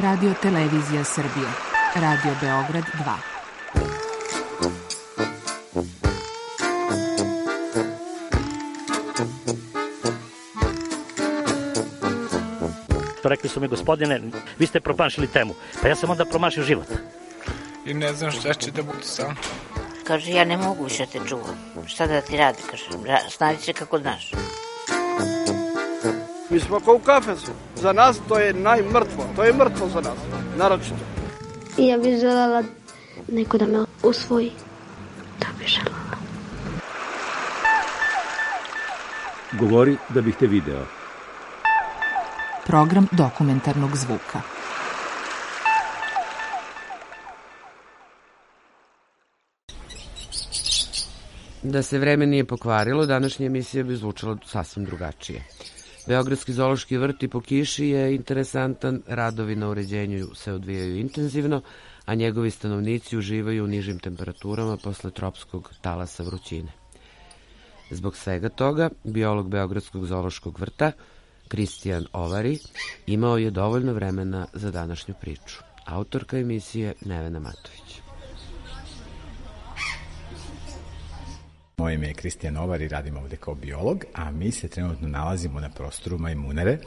Radio Televizija Srbije, Radio Beograd 2. Rekli su mi, gospodine, vi ste promašili temu. Pa ja sam onda promašio život. I ne znam šta će da bude sam. Kaže, ja ne mogu više te čuvam. Šta da ti radi, kaže, snađi se kako znaš. Mi smo kao u kafesu. Za nas to je najmrtvo. To je mrtvo za nas, naročito. I ja bih želela neko da me usvoji. To bih želela. Govori da bih te video. Program dokumentarnog zvuka. Da se vreme nije pokvarilo, današnja emisija bi zvučala sasvim drugačije. Beogradski zoološki vrt i po kiši je interesantan, radovi na uređenju se odvijaju intenzivno, a njegovi stanovnici uživaju u nižim temperaturama posle tropskog talasa vrućine. Zbog svega toga, biolog Beogradskog zoološkog vrta, Kristijan Ovari, imao je dovoljno vremena za današnju priču. Autorka emisije Nevena Matović. Moje ime je Kristijan Ovari, radim ovde kao biolog, a mi se trenutno nalazimo na prostoru Majmunare,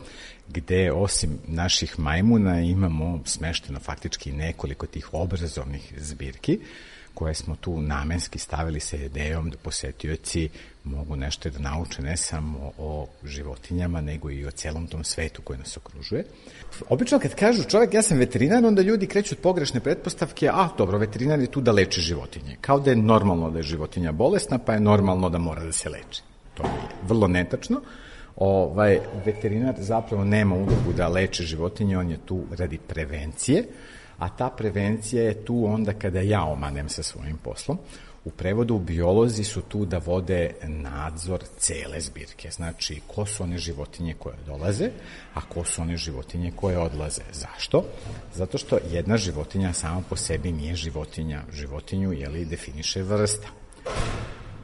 gde osim naših majmuna imamo smešteno faktički nekoliko tih obrazovnih zbirki, koje smo tu namenski stavili sa idejom da posetioci mogu nešto da nauče ne samo o životinjama, nego i o celom tom svetu koji nas okružuje. Obično kad kažu čovjek, ja sam veterinar, onda ljudi kreću od pogrešne pretpostavke, dobro, veterinar je tu da leči životinje. Kao da je normalno da je životinja bolesna, pa je normalno da mora da se leči. To je vrlo netačno. Veterinar zapravo nema ulogu da leči životinje, on je tu radi prevencije, a ta prevencija je tu onda kada ja omanem sa svojim poslom. U prevodu biolozi su tu da vode nadzor cele zbirke. Znači, ko su one životinje koje dolaze, a ko su one životinje koje odlaze. Zašto? Zato što jedna životinja sama po sebi nije životinja. Životinju, definiše vrsta.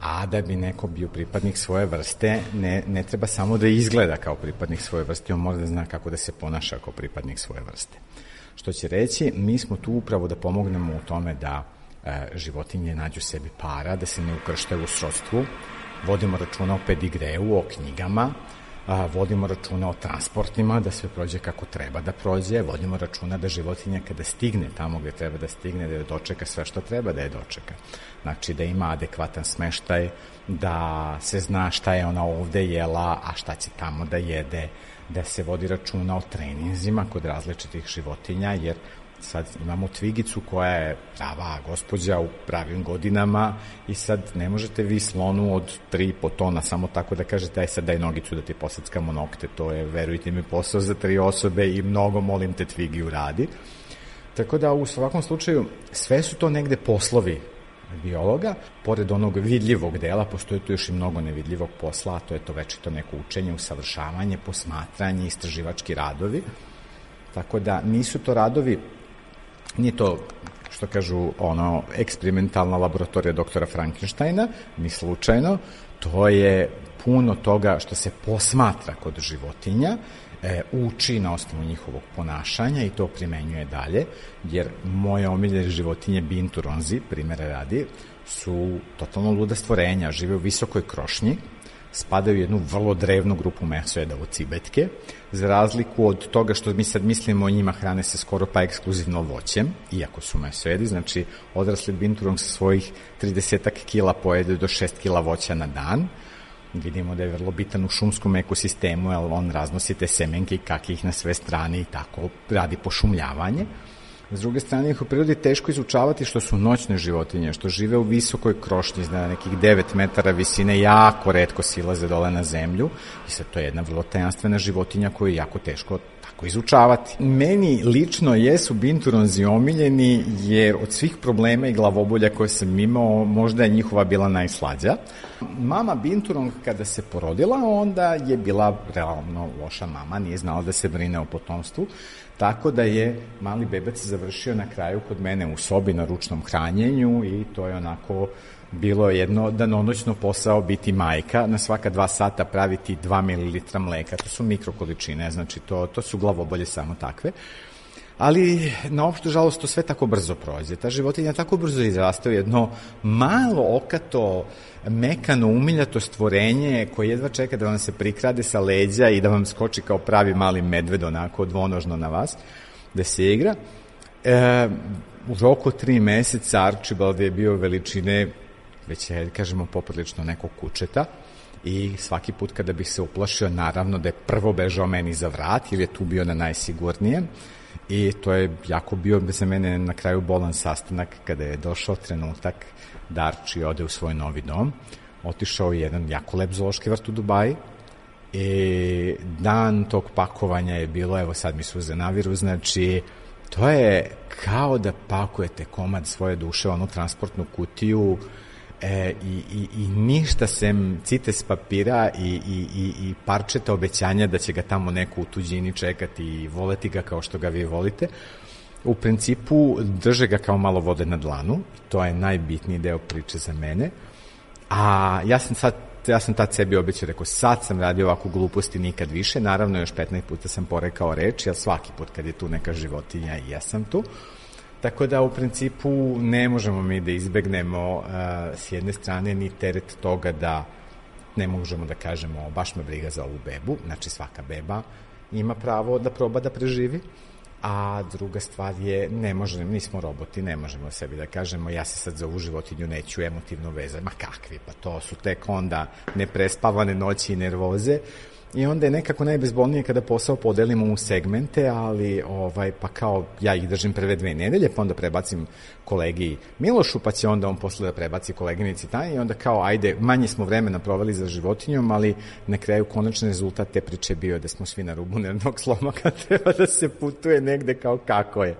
A da bi neko bio pripadnik svoje vrste, ne treba samo da izgleda kao pripadnik svoje vrste, on mora da zna kako da se ponaša kao pripadnik svoje vrste. Što će reći, mi smo tu upravo da pomognemo u tome da životinje nađu sebi para, da se ne ukrštaju u srodstvu, vodimo računa o pedigreu, o knjigama, vodimo računa o transportima, da sve prođe kako treba da prođe, vodimo računa da životinja kada stigne tamo gde treba da stigne, da je dočeka sve što treba da je dočeka. Znači da ima adekvatan smeštaj, da se zna šta je ona ovde jela, a šta će tamo da jede, da se vodi računa o treninzima kod različitih životinja, jer sad imamo Tvigicu koja je prava gospođa u pravim godinama i sad ne možete vi slonu od 3,5 tona samo tako da kažete sad daj nogicu da ti posackamo nokte, to je, verujte mi, posao za 3 osobe i mnogo molim te Tvigi uradi. Tako da u svakom slučaju sve su to negde poslovi biologa, pored onog vidljivog dela postoji tu još i mnogo nevidljivog posla, a to je to večito neko učenje, usavršavanje, posmatranje, istraživački radovi. Tako da nisu to radovi, nije to, što kažu, eksperimentalna laboratorija doktora Frankensteina, ni slučajno, to je puno toga što se posmatra kod životinja, uči na osnovu njihovog ponašanja i to primenjuje dalje, jer moje omiljene životinje binturonzi, primjera radi, su totalno luda stvorenja, žive u visokoj krošnji, spadaju u jednu vrlo drevnu grupu mesojeda od cibetke, za razliku od toga što mi sad mislimo o njima, hrane se skoro pa ekskluzivno voćem, iako su mesojedi, znači odrasli binturong sa svojih 30 kila pojede do 6 kila voća na dan. Vidimo da je vrlo bitan u šumskom ekosistemu, jer on raznosi te semenke i kake ih na sve strane i tako radi pošumljavanje. S druge strane, ih u prirodi teško izučavati što su noćne životinje, što žive u visokoj krošnji, na nekih 9 metara visine, jako retko silaze dole na zemlju i sad to je jedna vrlo tajanstvena životinja koju je jako teško tako izučavati. Meni lično jesu binturonzi omiljeni jer od svih problema i glavobolja koje sam imao, možda je njihova bila najslađa. Mama binturong kada se porodila, onda je bila realno loša mama, nije znala da se brine o potomstvu, tako da je mali bebac završio na kraju kod mene u sobi na ručnom hranjenju i to je onako bilo jedno danonoćno posao biti majka, na svaka 2 sata praviti 2 ml mleka, to su mikrokoličine, znači to su glavobolje samo takve. Ali, na opštu žalost, to sve tako brzo prođe. Ta životinja tako brzo izraste u jedno malo okato, mekano, umiljato stvorenje koje jedva čeka da vam se prikrade sa leđa i da vam skoči kao pravi mali medved, onako dvonožno na vas, da se igra. U roku 3 meseca Archibald je bio veličine, već je, kažemo, poprilično nekog kučeta, i svaki put kada bih se uplašio, naravno da je prvo bežao meni za vrat, jer je tu bio na najsigurnijem, i to je jako bio za mene na kraju bolan sastanak kada je došao trenutak da Archie ode u svoj novi dom. Otišao je jedan jako lep zoološki vrt u Dubaji i dan tog pakovanja je bilo, evo sad mi suze naviru, znači to je kao da pakujete komad svoje duše u onu transportnu kutiju, i ništa sem cites papira i parčeta obećanja da će ga tamo neko u tuđini čekati i voleti ga kao što ga vi volite. U principu drže ga kao malo vode na dlanu, to je najbitniji deo priče za mene. A ja sam tad sebi obećao, rekao, sad sam radio ovakvu gluposti, nikad više. Naravno, još 15 puta sam porekao reč, jer svaki put kad je tu neka životinja i ja sam tu. Tako da, u principu, ne možemo mi da izbegnemo s jedne strane ni teret toga da ne možemo da kažemo baš me briga za ovu bebu, znači svaka beba ima pravo da proba da preživi, a druga stvar je, nismo roboti, ne možemo sebi da kažemo ja se sad za ovu životinju neću emotivno vezati, ma kakvi, pa to su tek onda neprespavane noći i nervoze. I onda je nekako najbezbolnije kada posao podelimo u segmente, ali pa kao ja ih držim prve 2 nedelje, pa onda prebacim kolegi Milošu, pa će onda on posle da prebaci koleginici Tanji, i onda kao ajde, manje smo vremena proveli za životinjom, ali na kraju konačni rezultat te priče bio da smo svi na rubu nervnog sloma kad treba da se putuje negde kao kako je.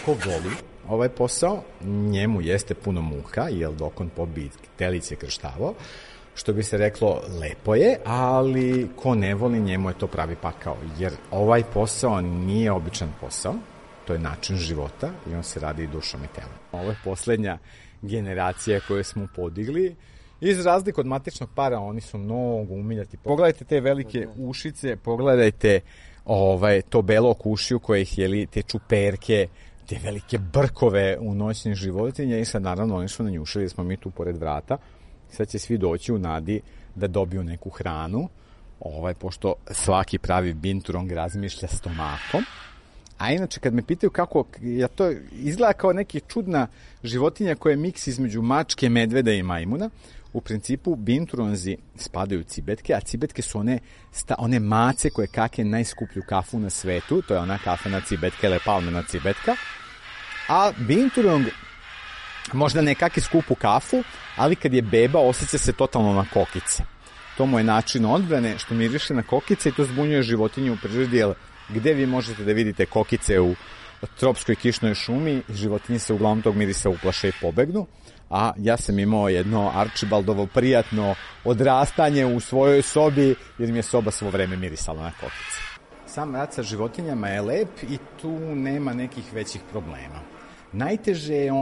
Ko voli ovaj posao, njemu jeste puno muka, jer dok on pobi telice krštavao, što bi se reklo, lepo je, ali ko ne voli, njemu je to pravi pakao, jer ovaj posao nije običan posao, to je način života i on se radi i dušom i telom. Ovo je poslednja generacija koju smo podigli. Iz razlike od matičnog para, oni su mnogo umiljati. Pogledajte te velike ušice, pogledajte to belo okušiju koje ih jeli, te čuperke, te velike brkove u noćnih životinja, i sad naravno oni su nanjušili, smo mi tu pored vrata, sad će svi doći u nadi da dobiju neku hranu, pošto svaki pravi binturong razmišlja stomakom. A inače, kad me pitaju kako, ja to izgleda kao neka čudna životinja koja je miks između mačke, medveda i majmuna. U principu, binturonzi spadaju u cibetke, a cibetke su one mace koje kake najskuplju kafu na svetu, to je ona kafena cibetka ili palmena cibetka. A binturong možda ne kake skupu kafu, ali kad je beba osjeća se totalno na kokice. To mu je način odbrane što miriše na kokice i to zbunjuje životinju u prirodi, jer gde vi možete da vidite kokice u tropskoj kišnoj šumi, životinje se uglavnom tog mirisa uplaše i pobegnu, a ja sam imao jedno Archibaldovo prijatno odrastanje u svojoj sobi, jer mi je soba svo vreme mirisala na kokice. Sam rad sa životinjama je lep i tu nema nekih većih problema. Najteže je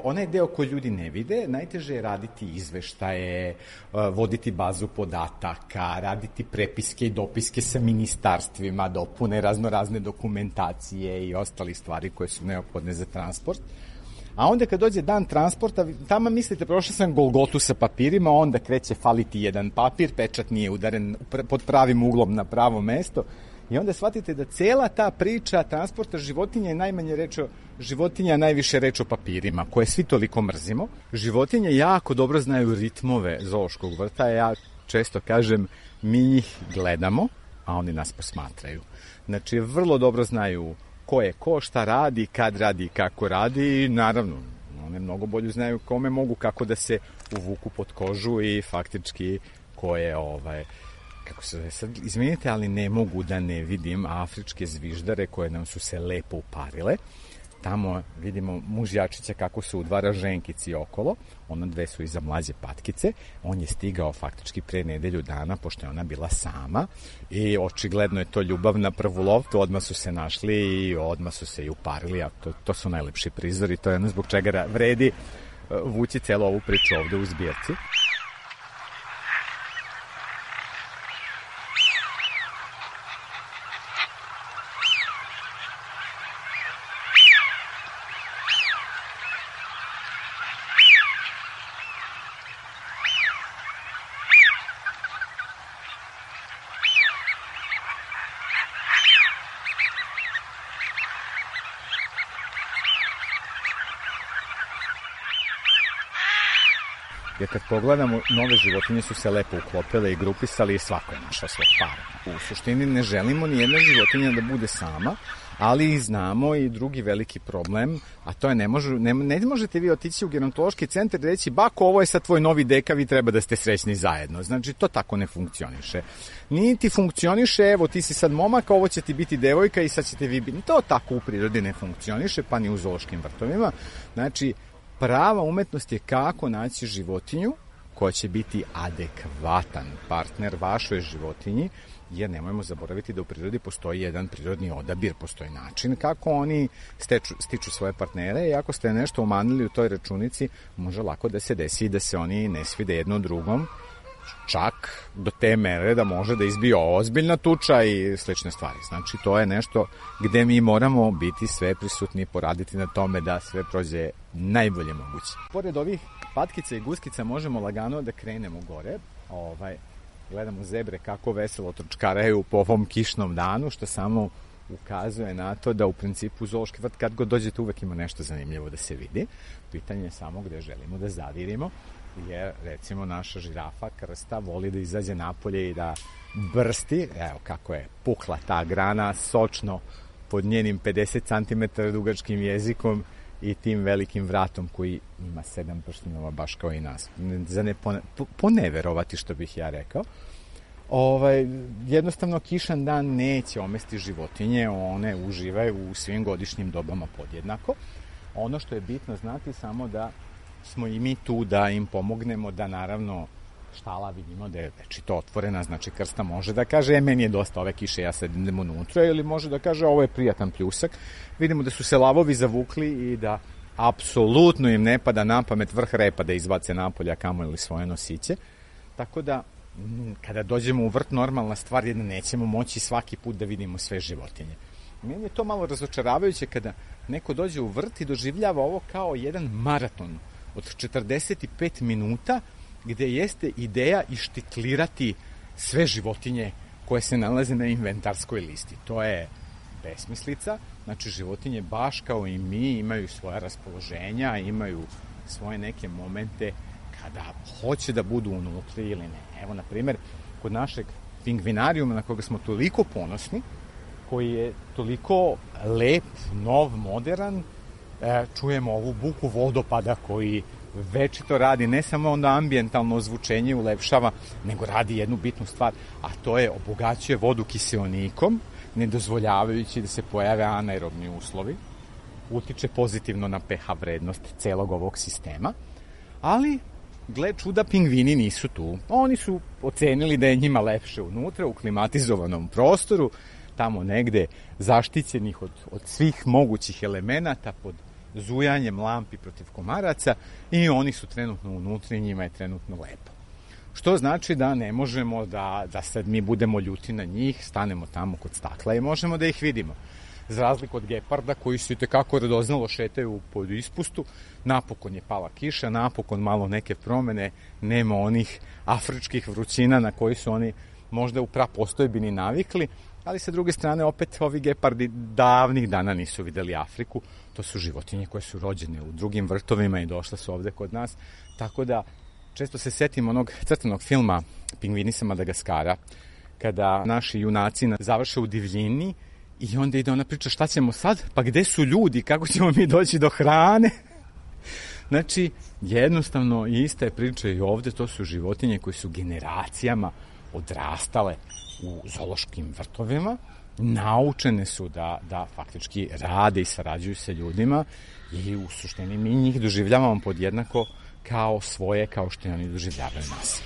onaj deo koji ljudi ne vide, najteže je raditi izveštaje, voditi bazu podataka, raditi prepiske i dopiske sa ministarstvima, dopune razne dokumentacije i ostali stvari koje su neophodne za transport. A onda kad dođe dan transporta, tamo mislite, prošao sam Golgotu sa papirima, onda kreće faliti jedan papir, pečat nije udaren pod pravim uglom na pravo mesto, i onda shvatite da cela ta priča transporta životinja je najmanje reč o životinja, a najviše reč o papirima, koje svi toliko mrzimo. Životinje jako dobro znaju ritmove zoološkog vrta, ja često kažem, mi njih gledamo, a oni nas posmatraju. Znači, vrlo dobro znaju ko je ko, šta radi, kad radi, kako radi, i naravno, one mnogo bolje znaju kome mogu kako da se uvuku pod kožu i faktički ko je kako se zove sad, izvinite, ali ne mogu da ne vidim afričke zviždare koje nam su se lepo uparile. Tamo vidimo mužjačića kako se udvara ženkici okolo, ono dve su iza mlađe patkice, on je stigao faktički pre nedelju dana, pošto je ona bila sama i očigledno je to ljubav na prvu loptu, odmah su se našli i odmah su se i uparili, a to su najlepši prizori, to je ono zbog čega vredi vući celu ovu priču ovde u zbirci. Jer kad pogledamo, nove životinje su se lepo uklopile i grupisali i svako je našao svog para. U suštini ne želimo ni jedna životinja da bude sama, ali znamo i drugi veliki problem, a to je ne možete vi otići u gerontološki centar i reći bako, ovo je sad tvoj novi deka, vi treba da ste srećni zajedno. Znači, to tako ne funkcioniše. Niti funkcioniše, evo ti si sad momak, ovo će ti biti devojka i sad ćete vi biti. To tako u prirodi ne funkcioniše, pa ni u zoološkim vrtovima. Znači, prava umetnost je kako naći životinju koja će biti adekvatan partner vašoj životinji, jer nemojmo zaboraviti da u prirodi postoji jedan prirodni odabir, postoji način kako oni stiču svoje partnere i ako ste nešto umanili u toj računici, može lako da se desi da se oni ne svide jedno drugom, čak do te mere da može da izbije ozbiljna tuča i slične stvari. Znači, to je nešto gde mi moramo biti sve prisutni i poraditi na tome da sve prođe najbolje moguće. Pored ovih patkica i guskica možemo lagano da krenemo gore. Gledamo zebre kako veselo trčkaraju po ovom kišnom danu, što samo ukazuje na to da u principu zoološki vrt kad god dođete uvek ima nešto zanimljivo da se vidi. Pitanje je samo gde želimo da zavirimo, jer recimo naša žirafa krsta voli da izađe napolje i da brsti, evo kako je pukla ta grana, sočno pod njenim 50 cm dugačkim jezikom i tim velikim vratom koji ima 7 prštinova baš kao i nas. Za ne poneverovati što bih ja rekao. Jednostavno kišan dan neće omesti životinje, one uživaju u svim godišnjim dobama podjednako. Ono što je bitno znati samo da smo i mi tu da im pomognemo, da naravno štala vidimo da je večito otvorena, znači krsta može da kaže meni je dosta ove kiše, ja sad idem unutra, ili može da kaže ovo je prijatan pljusak. Vidimo da su se lavovi zavukli i da apsolutno im ne pada na pamet vrh repa da izbace napolja kamo ili svoje nosiće. Tako da kada dođemo u vrt, normalna stvar je da nećemo moći svaki put da vidimo sve životinje. Meni je to malo razočaravajuće kada neko dođe u vrt i doživljava ovo kao jedan maraton od 45 minuta gde jeste ideja ištiklirati sve životinje koje se nalaze na inventarskoj listi. To je besmislica. Znači, životinje baš kao i mi imaju svoja raspoloženja, imaju svoje neke momente kada hoće da budu unutra ili ne. Evo, na primjer, kod našeg pingvinarijuma na koga smo toliko ponosni, koji je toliko lep, nov, modern, čujemo ovu buku vodopada koji večito radi, ne samo onda ambijentalno ozvučenje ulepšava, nego radi jednu bitnu stvar, a to je obogaćuje vodu kiseonikom, ne dozvoljavajući da se pojave anaerobni uslovi, utiče pozitivno na pH vrednost celog ovog sistema, ali gle čuda, pingvini nisu tu. Oni su ocenili da je njima lepše unutra, u klimatizovanom prostoru, tamo negde zaštićenih od svih mogućih elemenata, pod zujanjem lampi protiv komaraca, i oni su trenutno unutra i njima je trenutno lepo. Što znači da ne možemo da sad mi budemo ljuti na njih, stanemo tamo kod stakla i možemo da ih vidimo. Za razliku od geparda koji su itekako radoznalo šetaju pod ispustu, napokon je pala kiša, napokon malo neke promene, nema onih afričkih vrućina na koji su oni možda u prapostojbini navikli, ali sa druge strane opet ovi gepardi davnih dana nisu videli Afriku. To su životinje koje su rođene u drugim vrtovima i došle su ovde kod nas, tako da često se setim onog crtanog filma Pingvini sa Madagaskara, kada naši junaci završe u divljini i onda ide ona priča šta ćemo sad, pa gde su ljudi, kako ćemo mi doći do hrane. Znači, jednostavno ista je priča i ovde, to su životinje koje su generacijama odrastale u zoološkim vrtovima naučene su da faktički rade i sarađuju sa ljudima i u suštini mi njih doživljavamo podjednako kao svoje, kao što oni doživljavaju nas.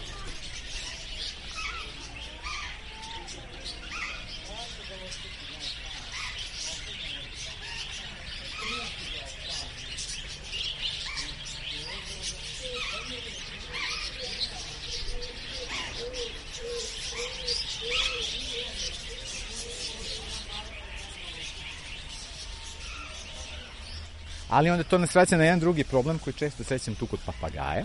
Ali onda to nas vraća na jedan drugi problem koji često srećem tu kod papagaja.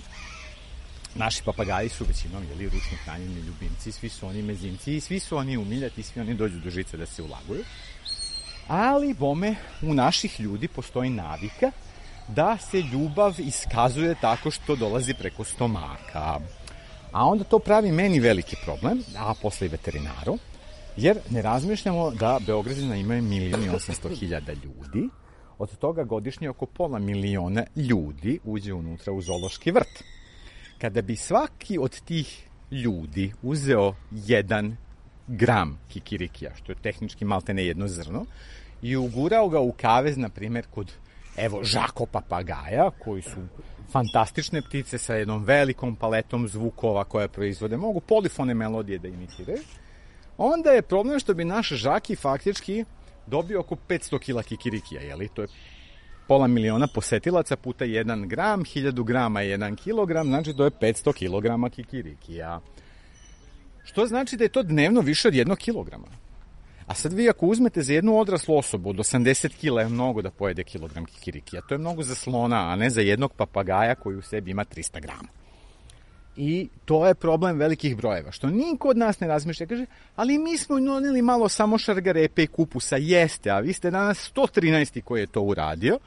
Naši papagaji su većinom ručno hranjeni ljubimci, svi su oni mezinci, svi su oni umiljati, svi oni dođu do žice da se ulaguju. Ali, bome, u naših ljudi postoji navika da se ljubav iskazuje tako što dolazi preko stomaka. A onda to pravi meni veliki problem, a posle i veterinaru, jer ne razmišljamo da Beograđana imaju 1.800.000 ljudi, od toga godišnje oko 500.000 ljudi uđe unutra u zoološki vrt. Kada bi svaki od tih ljudi uzeo 1 gram kikirikija, što je tehnički maltene jedno zrno, i ugurao ga u kavez, na primjer, kod žako papagaja, koji su fantastične ptice sa jednom velikom paletom zvukova koje proizvode, mogu polifone melodije da imitiraju, onda je problem što bi naš žaki faktički dobio oko 500 kila kikirikija, to je 500.000 posetilaca puta 1 gram, 1000 grama je 1 kilogram, znači to je 500 kilograma kikirikija. Što znači da je to dnevno više od 1 kilograma. A sad vi ako uzmete za jednu odraslu osobu od 80 kila je mnogo da pojede kilogram kikirikija. To je mnogo za slona, a ne za jednog papagaja koji u sebi ima 300 grama. I to je problem velikih brojeva, što niko od nas ne razmišlja. Kaže, ali mi smo doneli malo samo šargarepe i kupusa, jeste, a vi ste danas 113. koji je to uradio.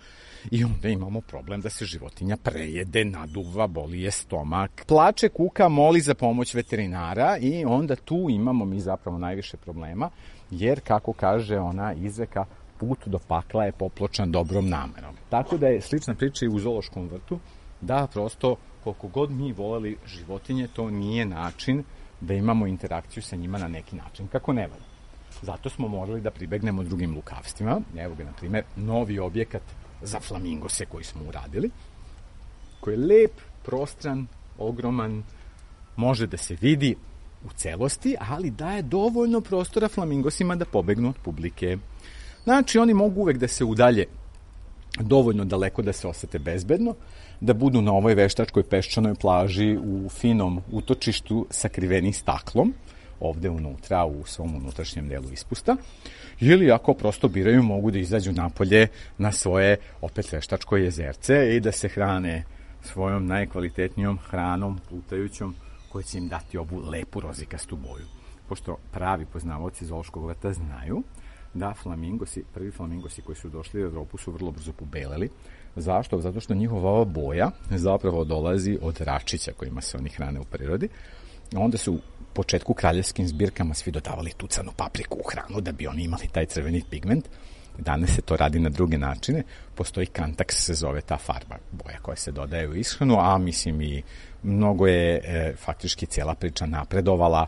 I onda imamo problem da se životinja prejede, naduva, boli je stomak, plače, kuka, moli za pomoć veterinara i onda tu imamo mi zapravo najviše problema, jer kako kaže ona izreka, put do pakla je popločan dobrom namerom. Tako da je slična priča i u zoološkom vrtu, da prosto koliko god mi voleli životinje, to nije način da imamo interakciju sa njima na neki način kako ne valja. Zato smo morali da pribegnemo drugim lukavstvima. Evo ga, na primjer, novi objekat za flamingose koji smo uradili, koji je lep, prostran, ogroman, može da se vidi u celosti, ali daje dovoljno prostora flamingosima da pobegnu od publike. Znači, oni mogu uvek da se udalje dovoljno daleko da se osete bezbedno, da budu na ovoj veštačkoj peščanoj plaži u finom utočištu sakriveni staklom, ovde unutra, u svom unutrašnjem delu ispusta, ili ako prosto biraju, mogu da izađu napolje na svoje opet veštačko jezerce i da se hrane svojom najkvalitetnijom hranom plutajućom koja će im dati ovu lepu rozikastu boju. Pošto pravi poznavaoci zoološkog vrta znaju da prvi flamingosi koji su došli u Evropu su vrlo brzo pobeleli. Zašto? Zato što njihova boja zapravo dolazi od račića kojima se oni hrane u prirodi. Onda su u početku kraljevskim zbirkama svi dodavali tucanu papriku u hranu da bi oni imali taj crveni pigment. Danas se to radi na druge načine. Postoji Kantax, se zove ta farba, boja koja se dodaje u ishranu, a mislim i mnogo je faktički cijela priča napredovala,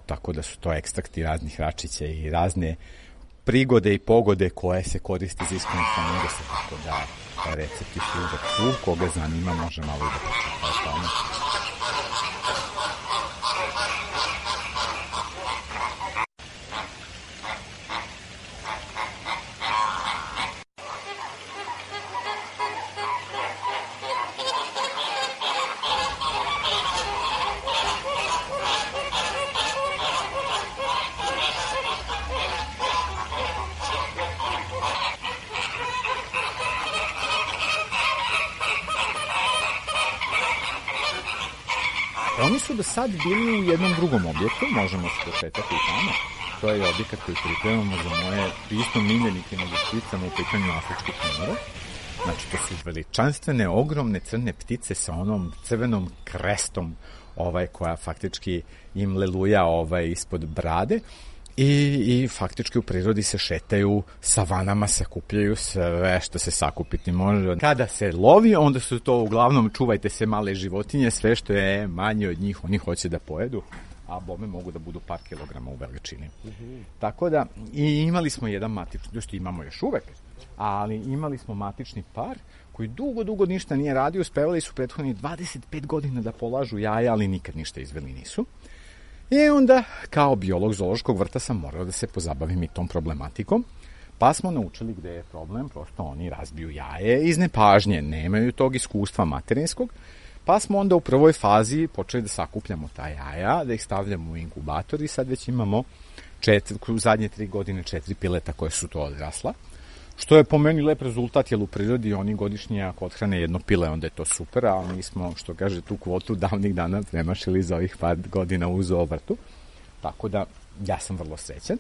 tako da su to ekstrakti raznih račića i razne prigode i pogode koje se koriste za ishranu flamingosa, tako da recepti su uvek tu, koga zanima može malo i da početa o tome. Oni su do sad bili u jednom drugom objektu, možemo se pošetati i tamo. To je objekat koji pripremamo za moje isto miljenike na pticama u pitanju afričkih komora. Znači, to su veličanstvene, ogromne crne ptice sa onom crvenom krestom koja faktički im leluja ispod brade. I faktički u prirodi se šetaju, savanama se kupljaju sve što se sakupiti može. Kada se lovi, onda su to uglavnom, čuvajte se, male životinje, sve što je manje od njih, oni hoće da pojedu. a bome mogu da budu par kilograma u veličini. Tako da, i imali smo jedan matični, imamo još uvek, ali imali smo matični par koji dugo ništa nije radio, uspevali su prethodnih 25 godina da polažu jaja, ali nikad ništa izveli nisu. I onda, kao biolog zoološkog vrta, sam morao da se pozabavim i tom problematikom, pa smo naučili gde je problem, prosto oni razbiju jaje iz nepažnje, nemaju tog iskustva materinskog, pa smo onda u prvoj fazi počeli da sakupljamo ta jaja, da ih stavljamo u inkubator i sad već imamo u zadnje 3 godine 4 pileta koje su to odrasla, što je po meni lep rezultat, jer u prirodi oni godišnje ako odhrane jedno pile, onda je to super, a mi smo, što kaže, tu kvotu davnih dana premašili za ovih par godina u zoovrtu, tako da ja sam vrlo srećan.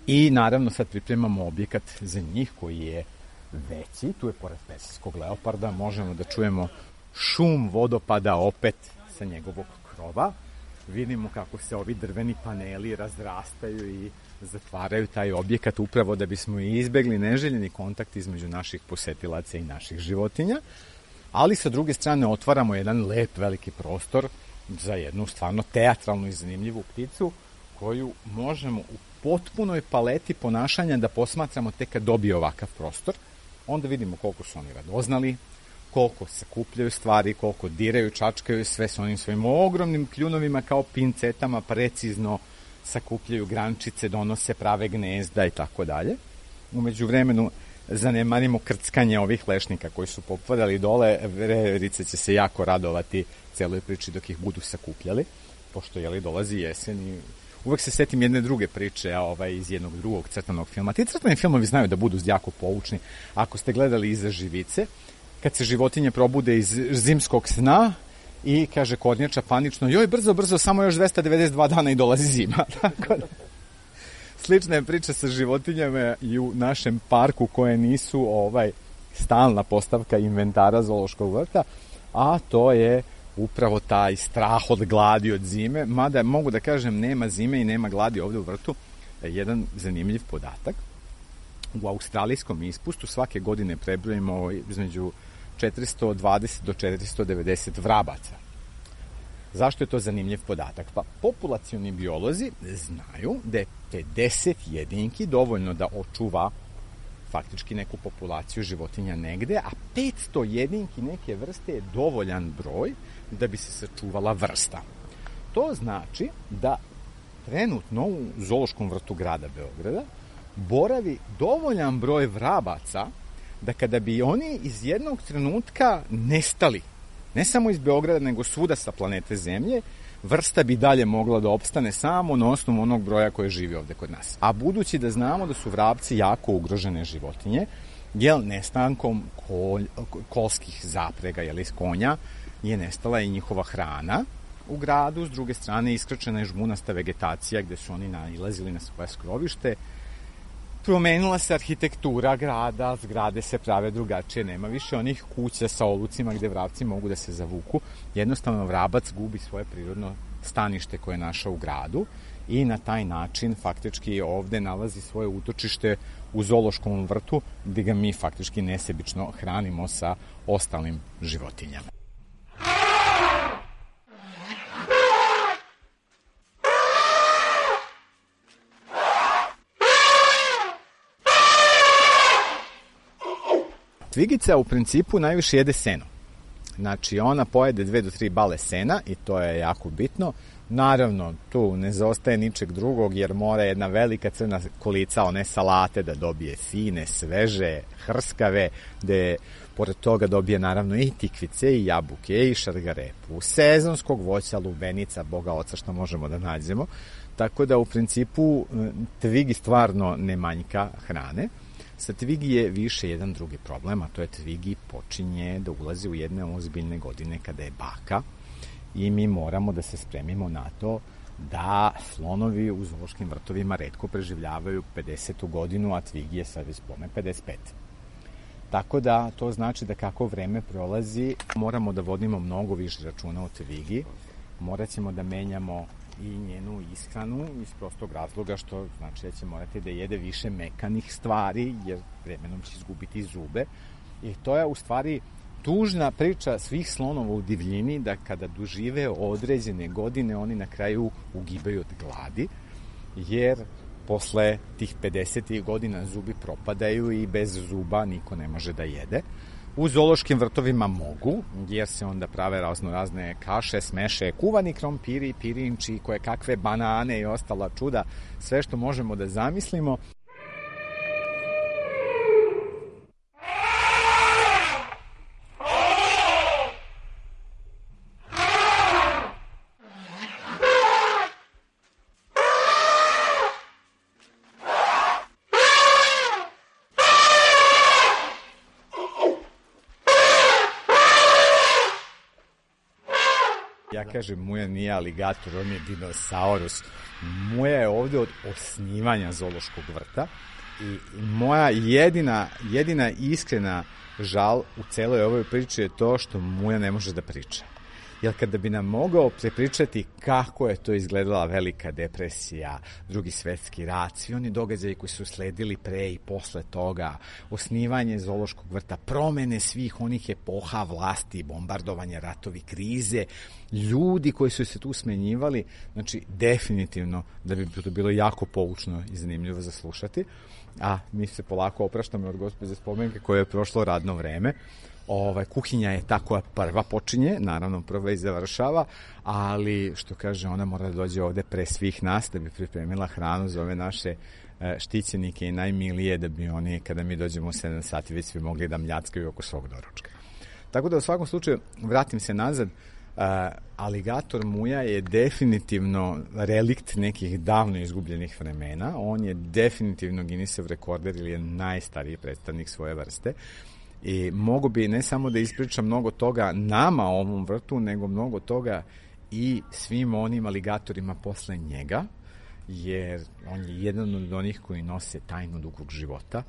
I naravno sad pripremamo objekat za njih koji je veći, tu je pored persijskog leoparda, možemo da čujemo šum vodopada opet sa njegovog krova, vidimo kako se ovi drveni paneli razrastaju i zatvaraju taj objekat upravo da bismo izbegli neželjeni kontakt između naših posetilaca i naših životinja, ali sa druge strane otvaramo jedan lep veliki prostor za jednu stvarno teatralnu i zanimljivu pticu koju možemo u potpunoj paleti ponašanja da posmatramo tek kad dobije ovakav prostor. Onda vidimo koliko su oni radoznali, koliko sakupljaju stvari, koliko diraju, čačkaju, sve s onim svojim ogromnim kljunovima kao pincetama precizno sakupljaju grančice, donose prave gnezda i tako dalje. Umeđu vremenu zanemarimo krckanje ovih lešnika koji su popadali dole, veverice će se jako radovati celoj priči dok ih budu sakupljali, pošto dolazi jesen i uvek se setim jedne druge priče iz jednog drugog crtanog filma. Ti crtani filmovi znaju da budu jako poučni. Ako ste gledali Iza živice, kad se životinje probude iz zimskog sna i kaže kornjača panično, joj, brzo, samo još 292 dana i dolazi zima. Tako da, slična je priča sa životinjama i u našem parku koje nisu stalna postavka inventara zoološkog vrta, a to je upravo taj strah od gladi, od zime, mada mogu da kažem nema zime i nema gladi ovde u vrtu. Jedan zanimljiv podatak. U australijskom ispustu svake godine prebrojimo između 420 do 490 vrabaca. Zašto je to zanimljiv podatak? Pa populacioni biolozi znaju da je 50 jedinki dovoljno da očuva faktički neku populaciju životinja negde, a 500 jedinki neke vrste je dovoljan broj da bi se sačuvala vrsta. To znači da trenutno u zoološkom vrtu grada Beograda boravi dovoljan broj vrabaca da kada bi oni iz jednog trenutka nestali, ne samo iz Beograda, nego svuda sa planete Zemlje, vrsta bi dalje mogla da opstane samo na osnovu onog broja koje živi ovde kod nas. A budući da znamo da su vrapci jako ugrožene životinje, jer nestankom kolskih zaprega, iz konja, je nestala i njihova hrana u gradu, s druge strane iskrčena je žmunasta vegetacija gde su oni nailazili na svoje skrovište, promenila se arhitektura grada, zgrade se prave drugačije, nema više onih kuća sa olucima gde vrapci mogu da se zavuku, jednostavno vrabac gubi svoje prirodno stanište koje je našao u gradu i na taj način faktički ovde nalazi svoje utočište u zoološkom vrtu gde ga mi faktički nesebično hranimo sa ostalim životinjama. Tvigica u principu najviše jede seno. Znači, ona pojede 2 do 3 bale sena i to je jako bitno. Naravno, tu ne zaostaje ničeg drugog jer mora jedna velika crna kolica, one salate da dobije fine, sveže, hrskave, gde pored toga dobije naravno i tikvice, i jabuke, i šargarepu, sezonskog voća, lubenica, boga oca što možemo da nađemo. Tako da u principu tvigi stvarno ne manjka hrane. Sa tvigi je više jedan drugi problem, a to je tvigi počinje da ulazi u jedne ozbiljne godine kada je baka i mi moramo da se spremimo na to da slonovi u zoološkim vrtovima retko preživljavaju 50. godinu, a tvigi je sad već pome 55. Tako da to znači da kako vreme prolazi moramo da vodimo mnogo više računa o tvigi, morat ćemo da menjamo i njenu ishranu iz prostog razloga što znači da će morati da jede više mekanih stvari jer vremenom će izgubiti zube i to je u stvari tužna priča svih slonova u divljini da kada dožive određene godine oni na kraju ugibaju od gladi, jer posle tih 50. godina zubi propadaju i bez zuba niko ne može da jede. U zoološkim vrtovima mogu, jer se onda prave razne kaše, smeše, kuvani krompiri, pirinči, koje kakve banane i ostala čuda, sve što možemo da zamislimo. Ja kažem, Muja nije aligator, on je dinosaurus. Muja je ovde od osnivanja zoološkog vrta i moja jedina iskrena žal u celoj ovoj priči je to što Muja ne može da priča. Jer kada bi nam mogao prepričati kako je to izgledala Velika depresija, Drugi svetski rat, svi oni događaji koji su sledili pre i posle toga, osnivanje zoološkog vrta, promene svih onih epoha vlasti, bombardovanje, ratovi, krize, ljudi koji su se tu smenjivali, znači definitivno da bi to bilo jako poučno i zanimljivo za slušati. A mi se polako opraštamo od gospođe Spomenke koje je prošlo radno vreme. Kuhinja je ta koja prva počinje, naravno prva i završava, ali što kaže, ona mora da dođe ovde pre svih nas da bi pripremila hranu za ove naše štićenike i najmilije, da bi oni, kada mi dođemo u 7 sati, već svi mogli da mljackaju oko svog doručka. Tako da u svakom slučaju, vratim se nazad, aligator Muja je definitivno relikt nekih davno izgubljenih vremena, on je definitivno Guinnessov rekorder ili je najstariji predstavnik svoje vrste. I mogu bi ne samo da ispričam mnogo toga nama o ovom vrtu, nego mnogo toga i svim onim aligatorima posle njega, jer on je jedan od onih koji nose tajnu dugog života.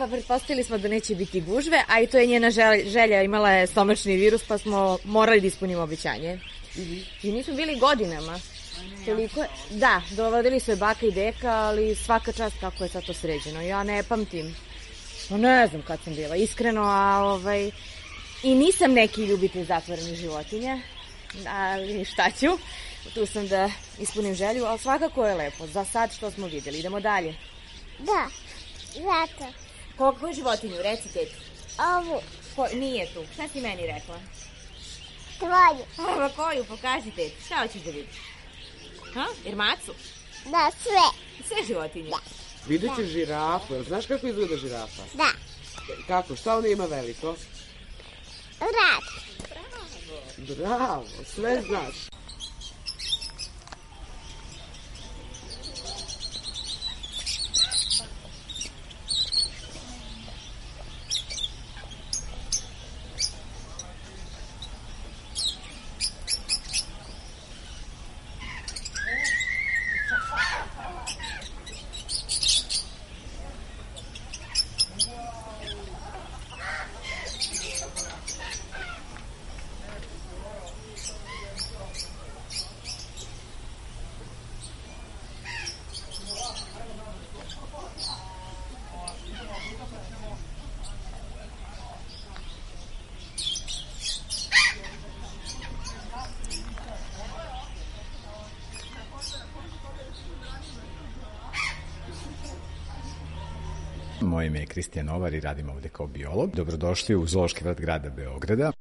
Pa pretpostavili smo da neće biti gužve, a i to je njena želja, imala je stomačni virus, pa smo morali da ispunimo obećanje. I nismo bili godinama. Toliko je, da, dovodili su je baka i deka, ali svaka čast kako je sad to sređeno. Ja ne pamtim. Ne znam kad sam bila, iskreno, i nisam neki ljubitelj zatvorenih životinja, ali šta ću, tu sam da ispunim želju, ali svakako je lepo, za sad što smo vidjeli. Idemo dalje. Da, zato. Koju životinju, reci teti? Ovu. Nije tu, šta si meni rekla? Tvoju. Koju, pokaži teti, šta hoćeš da vidiš? Irmacu? Da, sve. Sve životinje? Da. Vidjet ćeš žirafu, znaš kako izgleda žirafa? Da. Kako, šta ona ima veliko? Rad. Bravo, sve znaš. Moje ime je Kristijan Novar i radim ovde kao biolog. Dobrodošli u Zoološki vrt grada Beograda.